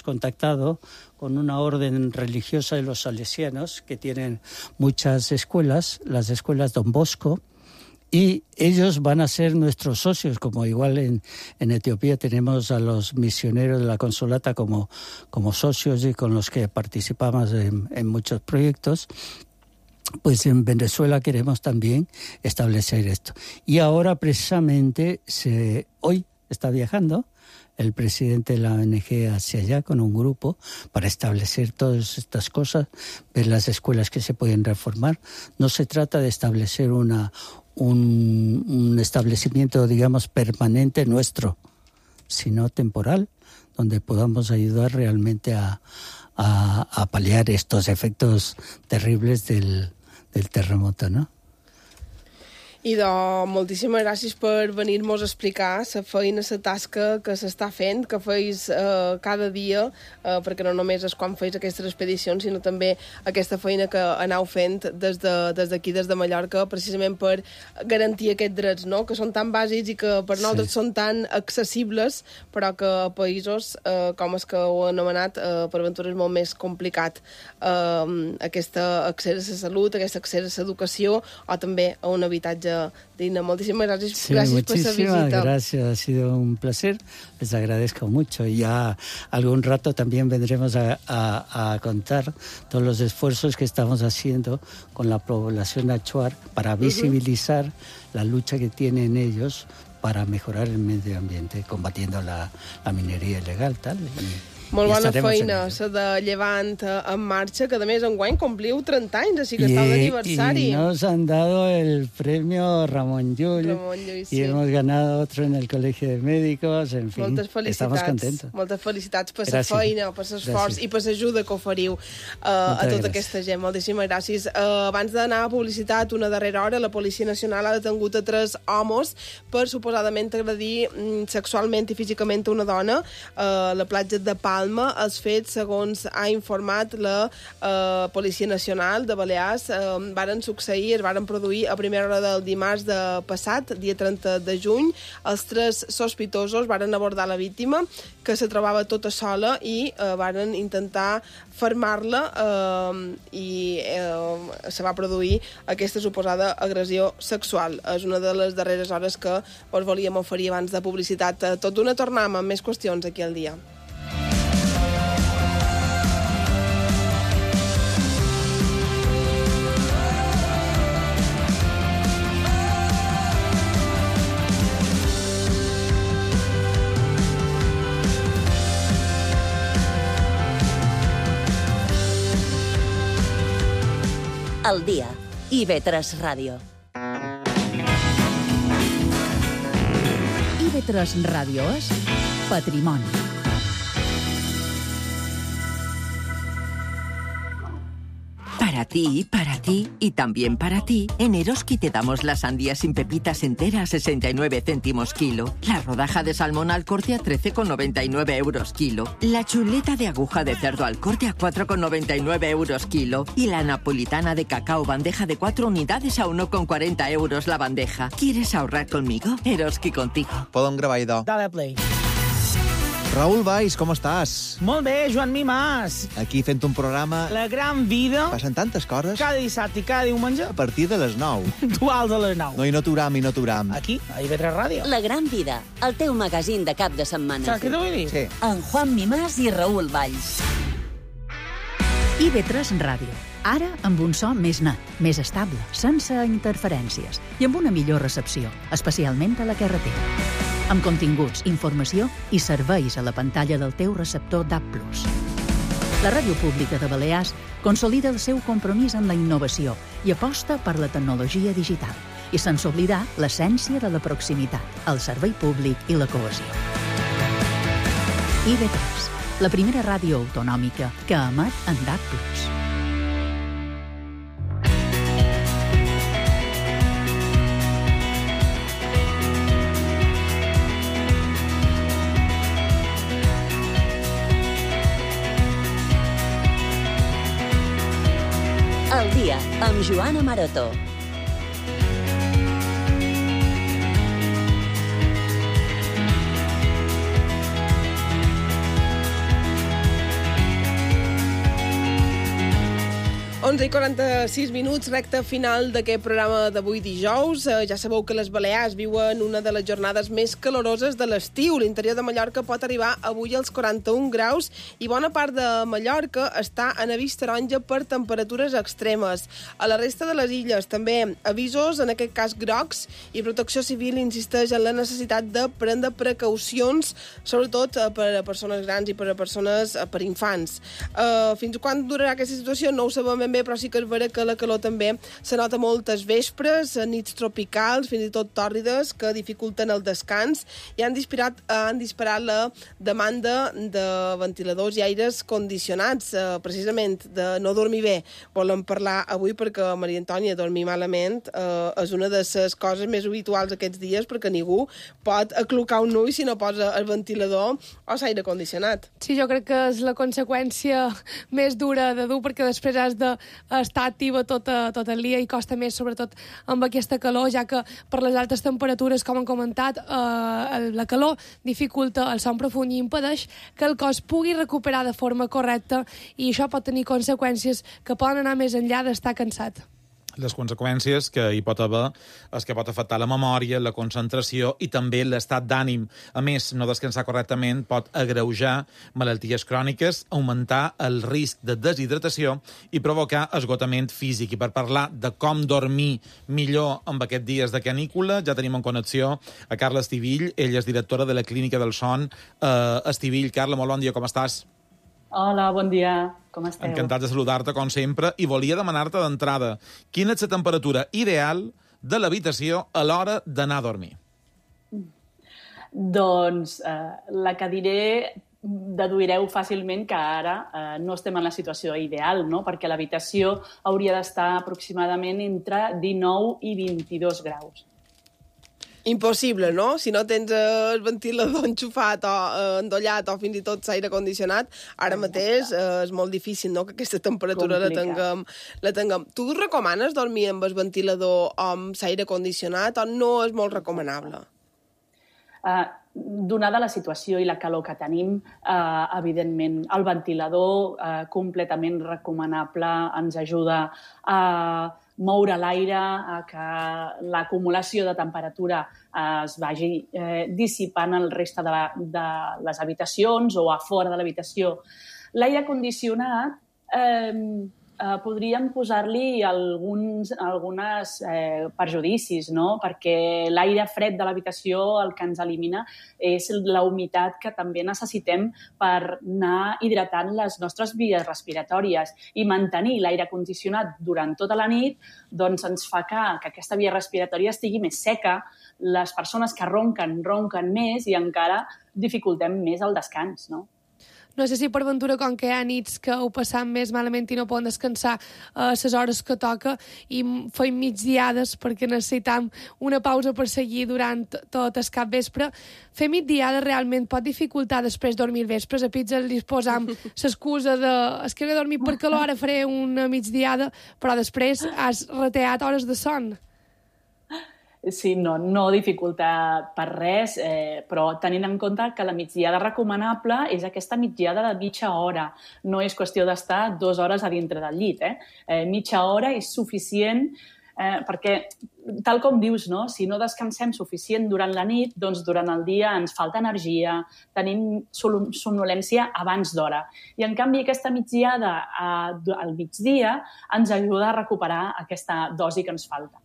contactado con una orden religiosa de los salesianos que tienen muchas escuelas, las escuelas Don Bosco, y ellos van a ser nuestros socios, como igual en Etiopía tenemos a los misioneros de la Consolata como socios y con los que participamos en muchos proyectos. Pues en Venezuela queremos también establecer esto. Y ahora precisamente hoy está viajando el presidente de la ONG hacia allá con un grupo para establecer todas estas cosas, ver las escuelas que se pueden reformar. No se trata de establecer un establecimiento, digamos, permanente nuestro, sino temporal, donde podamos ayudar realmente a paliar estos efectos terribles del terremoto, ¿no? I moltíssimes gràcies per venir-nos a explicar la feina, la tasca que s'està fent, que feis cada dia, perquè no només és quan feis aquestes expedicions, sinó també aquesta feina que aneu fent des d'aquí, des de Mallorca, precisament per garantir aquests drets, no?, que són tan bàsics i que per nosaltres són tan accessibles, però que a països com els que heu anomenat, per aventura és molt més complicat. Aquest accés a la salut, aquest accés a l'educació o també a un habitatge digna. Muchísimas gracias, sí, gracias por esa visita. Muchísimas gracias, ha sido un placer, les agradezco mucho y ya algún rato también vendremos a contar todos los esfuerzos que estamos haciendo con la población achuar para visibilizar la lucha que tienen ellos para mejorar el medio ambiente, combatiendo la minería ilegal, tal. Molt bona feina, la de Llevant en marxa, que a més enguany compliu 30 anys, així que esteu d'aniversari. Y nos han dado el premio Ramón Llull, sí. Y hemos ganado otro en el Colegio de Médicos, en fin, estamos contentos. Moltes felicitats per la feina, per l'esforç i per l'ajuda que oferiu a tota aquesta gent. Moltíssimes gràcies. Abans d'anar a publicitat, una darrera hora, la Policia Nacional ha detengut a 3 homes per suposadament agredir sexualment i físicament una dona a la platja de Palma Palma. Els fets, segons ha informat la Policia Nacional de Balears, varen succeir, es varen produir a primera hora del dimarts de passat, dia 30 de juny. Els 3 sospitosos varen abordar la víctima, que se trobava tota sola, i varen intentar fermar-la i se va produir aquesta suposada agressió sexual. És una de les darreres hores que us volíem oferir abans de publicitat. Tot d'una tornem amb més qüestions aquí al dia. Al dia. IB3 Ràdio. IB3 Ràdio és Patrimoni. Para ti y también para ti, en Eroski te damos la sandía sin pepitas entera a 69 céntimos kilo, la rodaja de salmón al corte a 13,99 euros kilo, la chuleta de aguja de cerdo al corte a 4,99 euros kilo y la napolitana de cacao bandeja de 4 unidades a 1,40 euros la bandeja. ¿Quieres ahorrar conmigo? Eroski contigo. Podem gravar, idò. Dale play. Raül Valls, com estàs? Molt bé, Joan Mimàs. Aquí fent un programa... La gran vida. Passen tantes coses. Cada dissabte i cada diumenge. A partir de les 9. Duals a les 9. No, i no t'uram. Aquí, a IB3 Ràdio. La gran vida, el teu magazín de cap de setmana. Saps què t'ho vull dir? Sí. En Juan Mimàs i Raül Valls. IB3 Ràdio. Ara amb un so més net, més estable, sense interferències i amb una millor recepció, especialment a la carretera. Amb continguts, informació i serveis a la pantalla del teu receptor DAB+. La Ràdio Pública de Balears consolida el seu compromís amb la innovació i aposta per la tecnologia digital, i sense oblidar l'essència de la proximitat, el servei públic i la cohesió. IB3, la primera ràdio autonòmica que emet en DAB+. Al dia, amb Joana Maroto. I 46 minuts, recta final d'aquest programa d'avui dijous. Ja sabeu que les Balears viuen una de les jornades més caloroses de l'estiu. L'interior de Mallorca pot arribar avui als 41 graus i bona part de Mallorca està en avís taronja per temperatures extremes. A la resta de les illes també avisos, en aquest cas grocs, i Protecció Civil insisteix en la necessitat de prendre precaucions, sobretot per a persones grans i per infants. Fins quan durarà aquesta situació no ho sabem ben bé, però sí que és vera que la calor també se nota moltes vespres, nits tropicals, fins i tot tòrrides, que dificulten el descans i han disparat la demanda de ventiladors i aires condicionats, precisament de no dormir bé. Volem parlar avui perquè, Maria Antònia, dormir malament és una de les coses més habituals aquests dies, perquè ningú pot aclucar un ull si no posa el ventilador o l'aire condicionat. Sí, jo crec que és la conseqüència més dura de dur, perquè després has d'estar activa tot el dia i costa més, sobretot amb aquesta calor, ja que per les altes temperatures, com han comentat, la calor dificulta el son profund i impedeix que el cos pugui recuperar de forma correcta, i això pot tenir conseqüències que poden anar més enllà d'estar cansat. Les conseqüències que hi pot haver és que pot afectar la memòria, la concentració i també l'estat d'ànim. A més, no descansar correctament pot agreujar malalties cròniques, augmentar el risc de deshidratació i provocar esgotament físic. I per parlar de com dormir millor amb aquests dies de canícula, ja tenim en connexió a Carla Estivill. Ella és directora de la Clínica del Son Estivill. Carla, molt bon dia, com estàs? Hola, bon dia. Com esteu? Encantat de saludar-te, com sempre, i volia demanar-te d'entrada quina és la temperatura ideal de l'habitació a l'hora d'anar a dormir. Doncs la que diré deduireu fàcilment que ara no estem en la situació ideal, no? Perquè l'habitació hauria d'estar aproximadament entre 19 i 22 graus. Impossible, no? Si no tens el ventilador enxufat o endollat o fins i tot l'aire condicionat, ara mateix és molt difícil, no?, que aquesta temperatura la tinguem. Tu recomanes dormir amb el ventilador o amb l'aire condicionat o no és molt recomanable? Donada la situació i la calor que tenim, evidentment, el ventilador completament recomanable, ens ajuda a moure l'aire, a que l'acumulació de temperatura es vagi dissipant el reste de les habitacions o a fora de l'habitació. L'aire condicionat podríem posar-li alguns perjudicis, no? Perquè l'aire fred de l'habitació el que ens elimina és la humitat que també necessitem per anar hidratant les nostres vies respiratòries, i mantenir l'aire condicionat durant tota la nit doncs ens fa que aquesta via respiratòria estigui més seca, les persones que ronquen més i encara dificultem més el descans, no? No sé si per ventura, com que hi ha nits que ho passam més malament i no poden descansar a les hores que toca i feim migdiades perquè necessitam una pausa per seguir durant tot el capvespre, fer migdiada realment pot dificultar després dormir vespres. A pizza li posam l'excusa de és que he de dormir per calor, ara faré una migdiada, però després has reteat hores de son. Sí, no dificulta per res, però tenint en compte que la migdiada recomanable és aquesta migdiada de mitja hora. No és qüestió d'estar 2 hores a dintre del llit. Mitja hora és suficient perquè, tal com dius, no? Si no descansem suficient durant la nit, doncs durant el dia ens falta energia, tenim somnolència abans d'hora. I, en canvi, aquesta migdiada al migdia ens ajuda a recuperar aquesta dosi que ens falta.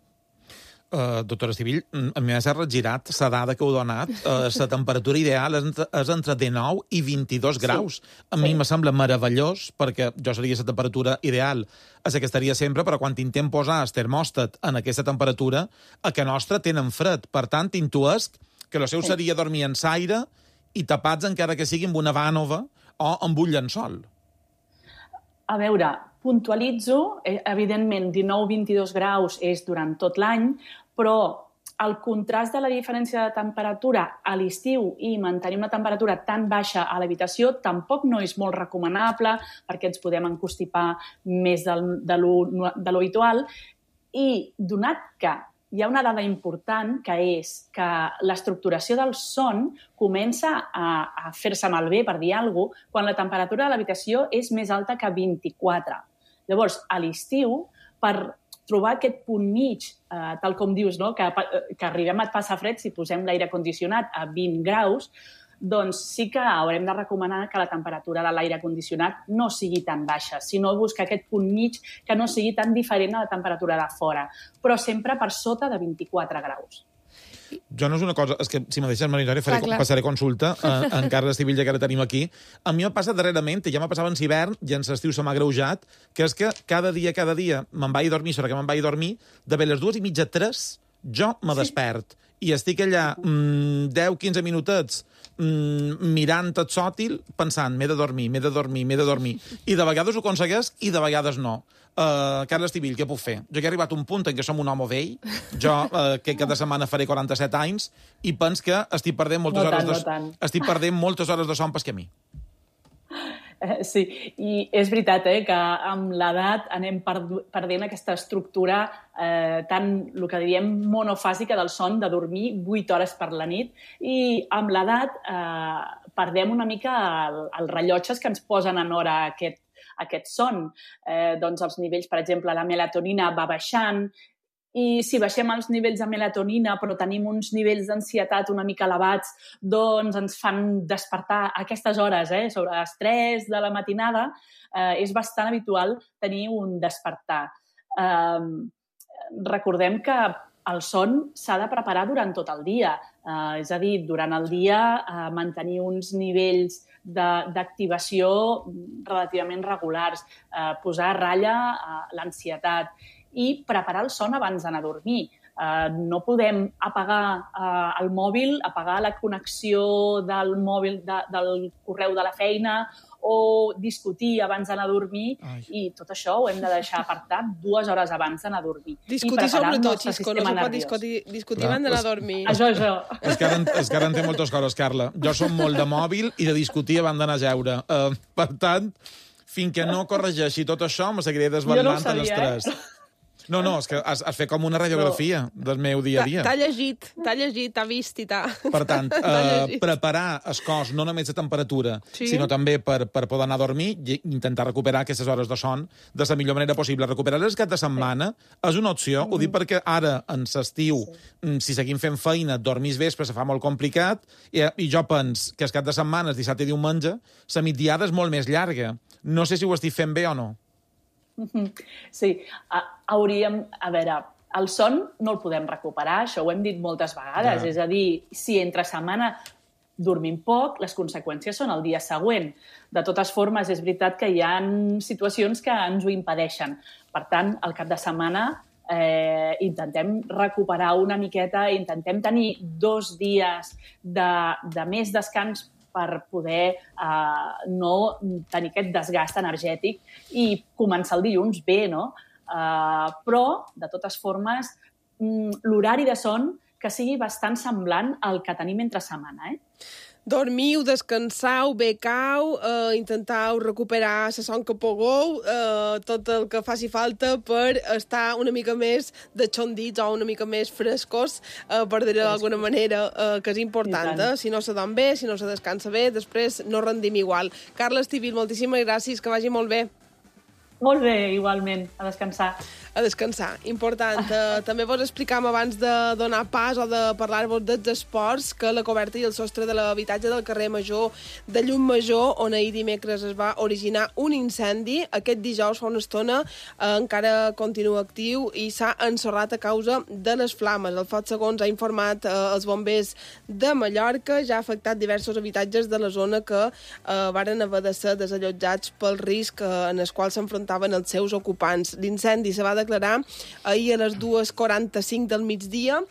Doctora Estivill, a mi m'ha regirat la dada que heu donat. La temperatura ideal és entre 19 i 22 graus. A mi me sembla meravellós, perquè jo seria la temperatura ideal a la que estaria sempre, però quan intentem posar el termòstat en aquesta temperatura, a que nostra tenen fred. Per tant, intuesc que el seu seria dormir en l'aire i tapats encara que sigui amb una vànova o amb un llençol. A veure, puntualitzo, evidentment 19-22 graus és durant tot l'any, però el contrast de la diferència de temperatura a l'estiu i mantenir una temperatura tan baixa a l'habitació tampoc no és molt recomanable perquè ens podem encostipar més de lo habitual, i donat que hi ha una dada important, que és que l'estructuració del son comença a fer-se malbé, per dir alguna cosa, quan la temperatura de l'habitació és més alta que 24. Llavors, a l'estiu, per trobar aquest punt mig, tal com dius, no? que arribem a passar fred si posem l'aire condicionat a 20 graus, doncs sí que haurem de recomanar que la temperatura de l'aire condicionat no sigui tan baixa, sinó buscar aquest punt mig que no sigui tan diferent a la temperatura de fora, però sempre per sota de 24 graus. Jo no és una cosa... És que, si me deixes, Marinari, passaré consulta en Carles Estivill, que ara tenim aquí. A mi m'ha passat darrerament, i ja m'ha passat en l'hivern, i en l'estiu se m'ha greujat, que és que cada dia me'n vaig a dormir, sobre que me'n vaig a dormir, de les 2:30, 3, jo me despert. I estic allà 10-15 minutets mirant el sòtil, pensant, m'he de dormir. I de vegades ho aconsegueix i de vegades no. Carles Estivill, què puc fer? Jo he arribat a un punt en què som un home vell, jo que cada setmana faré 47 anys, i pens que estic perdent moltes hores de son pel camí. Sí, i és veritat que amb l'edat anem perdent aquesta estructura tan, el que diríem, monofàsica del son, de dormir 8 hores per la nit, i amb l'edat perdem una mica els rellotges que ens posen en hora aquest son. Doncs els nivells, per exemple, la melatonina va baixant, i si baixem els nivells de melatonina però tenim uns nivells d'ansietat una mica elevats, doncs ens fan despertar a aquestes hores, sobre les 3 de la matinada, és bastant habitual tenir un despertar. Recordem que el son s'ha de preparar durant tot el dia, és a dir, durant el dia mantenir uns nivells d'activació relativament regulars, posar a ratlla l'ansietat i preparar el son abans d'anar a dormir. No podem apagar el mòbil, apagar la connexió del mòbil del correu de la feina o discutir abans d'anar a dormir, i tot això ho hem de deixar apartat 2 hores abans d'anar a dormir. Discutir sobretot, Xisco, no se pot discutir abans d'anar a dormir. Això. És que ara entenc moltes coses, Carla. Jo som molt de mòbil i de discutir abans d'anar a jeure. Per tant, fins que no corregeixi tot això, me seguiré desvetllant en l'estrès. No, és que has fet com una radiografia del meu dia a dia. T'ha llegit, t'ha vist i t'ha... Per tant, preparar el cos no només de temperatura, sinó també per poder anar a dormir i intentar recuperar aquestes hores de son de la millor manera possible. Recuperar el cap de setmana és una opció, ho dic perquè ara, en l'estiu, si seguim fent feina, dormir vespre se fa molt complicat, i jo penso que el cap de setmana, dissabte i diumenge, la migdiada és molt més llarga. No sé si ho estic fent bé o no. Sí, hauríem... A veure, el son no el podem recuperar, això ho hem dit moltes vegades. És a dir, si entre setmana dormim poc, les conseqüències són el dia següent. De totes formes, és veritat que hi ha situacions que ens ho impedeixen. Per tant, el cap de setmana intentem recuperar una miqueta, intentem tenir 2 dies de més descans per poder no tenir aquest desgast energètic i començar el dilluns bé, no? Però, de totes formes, l'horari de son que sigui bastant semblant al que tenim entre setmana, Dormiu, descansau, becau, intentau recuperar la son que pugueu, tot el que faci falta per estar una mica més deixondits o una mica més frescos, per dir-ho d'alguna manera, que és important. Si no se dorm bé, si no se descansa bé, després no rendim igual. Carla Estivill, moltíssimes gràcies, que vagi molt bé. Molt bé, igualment, a descansar. A descansar, important. També vos explicàvem abans de donar pas o de parlar-vos dels esports que la coberta i el sostre de l'habitatge del carrer Major de Llum Major, on ahir dimecres es va originar un incendi, aquest dijous fa una estona encara continua actiu i s'ha ensorrat a causa de les flames. El foc, segons ha informat els bombers de Mallorca, ja ha afectat diversos habitatges de la zona que varen haver de ser desallotjats pel risc en el qual s'enfrontaven els seus ocupants. L'incendi se va declarar ahir a les 2:45 del migdia,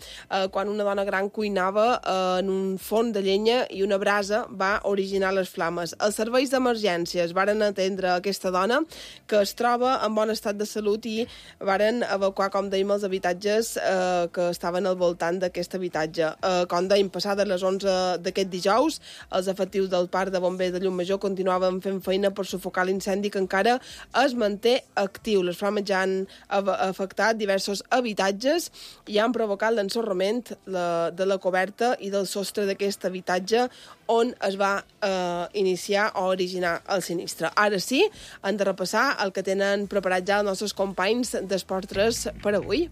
quan una dona gran cuinava en un forn de llenya i una brasa va originar les flames. Els serveis d'emergències varen atendre aquesta dona, que es troba en bon estat de salut, i varen evacuar, com dèiem, els habitatges que estaven al voltant d'aquest habitatge. Com dèiem, passades les 11 d'aquest dijous, els efectius del Parc de Bombers de Llum-Major continuaven fent feina per sufocar l'incendi, que encara es manté actiu. Les flames ja han afectat diversos habitatges i han provocat l'ensorrament de la coberta i del sostre d'aquest habitatge on es va iniciar o originar el sinistre. Ara sí, hem de repassar el que tenen preparat ja els nostres companys d'Esport 3 per avui.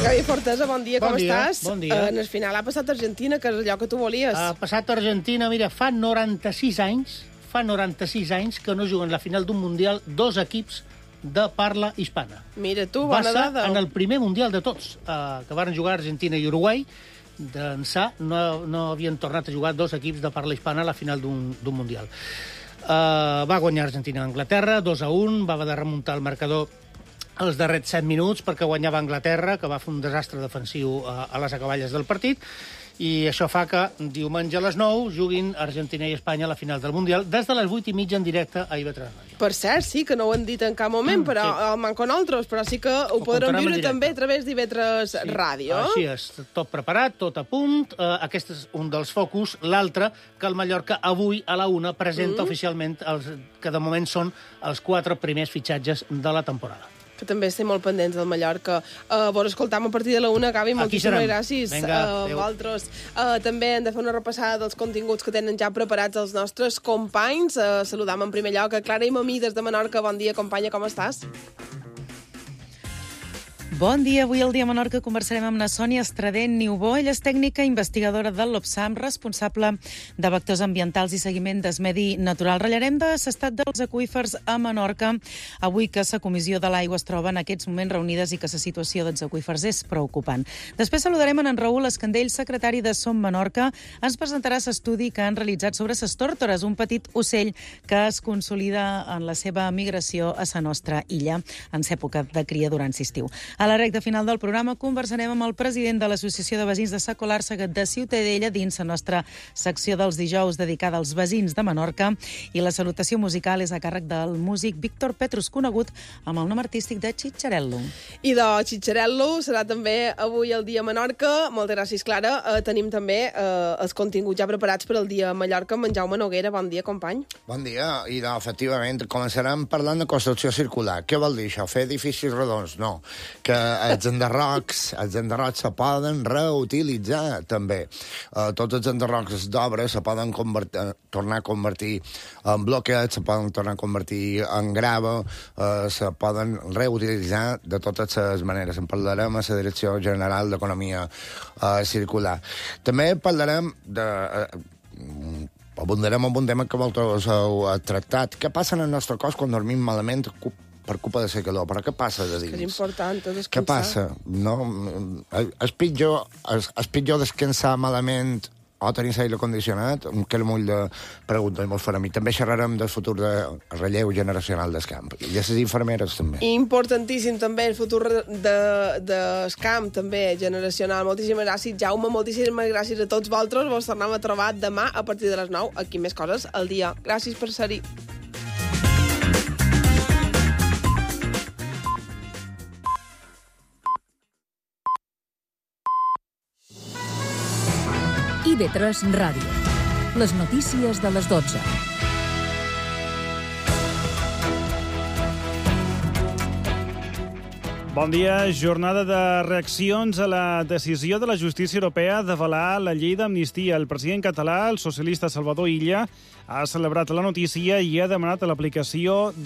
Gavi Fortesa, bon dia, com estàs? Bon dia. En el final ha passat Argentina, que és allò que tu volies. Ha passat Argentina, mira, fa 96 anys que no juguen la final d'un Mundial 2 equips de parla hispana. Mira tu, bona dada. Va ser en el primer Mundial de tots, que van jugar Argentina i Uruguai. D'ençà no havien tornat a jugar 2 equips de parla hispana a la final d'un Mundial. Va guanyar Argentina a Anglaterra, 2-1, va haver de remuntar el marcador els darrers 7 minuts perquè guanyava Anglaterra, que va fer un desastre defensiu a les acaballes del partit, i això fa que diumenge a les 9 juguin Argentina i Espanya a la final del Mundial des de les 8:30 en directe a IB3 Ràdio. Per cert, sí, que no ho han dit en cap moment, però sí. Manco nosaltres, però sí que ho podrem viure també a través d'IB3 Ràdio. Així és, tot preparat, tot a punt. Aquest és un dels focus. L'altre, que el Mallorca avui a la 1 presenta oficialment que de moment són els 4 primers fitxatges de la temporada. Que també estem molt pendents del Mallorca. Vos escoltam a partir de la 1, Gavi, moltíssimes gràcies. Vinga, vosaltres. També hem de fer una repassada dels continguts que tenen ja preparats els nostres companys. Saludam en primer lloc a Clara i Mamí des de Menorca. Bon dia, companya, com estàs? Bon dia. Avui al Dia Menorca conversarem amb la Sònia Estradent Niubó. Ella és tècnica investigadora del l'OPSAM, responsable de vectors ambientals i seguiment del medi natural. Ratllarem de l'estat dels aqüífers a Menorca, avui que la Comissió de l'Aigua es troba en aquests moments reunides i que la situació dels aqüífers és preocupant. Després saludarem en Raül Escandell, secretari de Som Menorca. Ens presentarà l'estudi que han realitzat sobre les tòrtores, un petit ocell que es consolida en la seva migració a la nostra illa en època de cria durant l'estiu. A la recta final del programa conversarem amb el president de l'Associació de Veïns de Sa Colàrsega de Ciutadella dins la nostra secció dels dijous dedicada als veïns de Menorca, i la salutació musical és a càrrec del músic Víctor Petrus, conegut amb el nom artístic de Chicharello. I de Chicharello serà també avui el dia Menorca. Moltes gràcies, Clara. Tenim també els continguts ja preparats per al dia Mallorca amb en Jaume Noguera. Bon dia, company. Bon dia, i efectivament començarem parlant de construcció circular. Què vol dir això? Fer edificis redons? No. Que els enderrocs se poden reutilitzar també. Tots els enderrocs d'obra se poden tornar a convertir en bloquets, se poden tornar a convertir en grava, se poden reutilitzar de totes les maneres. En parlarem a la Direcció General d'Economia Circular. També parlarem abundarem en un tema que vosaltres heu tractat. Què passa en el nostre cos quan dormim malament per culpa de la calor? Però què passa de dins? És important descansar. Què passa? No? És pitjor descansar malament o tenir l'aire condicionat? Que era molt de pregunta i molt fora a mi. També xerrarem del futur de relleu generacional del camp. I de les infermeres, també. Importantíssim, també, el futur del camp, també, generacional. Moltíssimes gràcies, Jaume. Moltíssimes gràcies a tots vosaltres. Vos tornem a trobar demà a partir de les 9. Aquí més coses al dia. Gràcies per ser-hi. IB3 Ràdio. Les notícies de les 12. Bon dia. Jornada de reaccions a la decisió de la justícia europea d'avalar la llei d'amnistia. El president català, el socialista Salvador Illa, ha celebrat la notícia i ha demanat l'aplicació de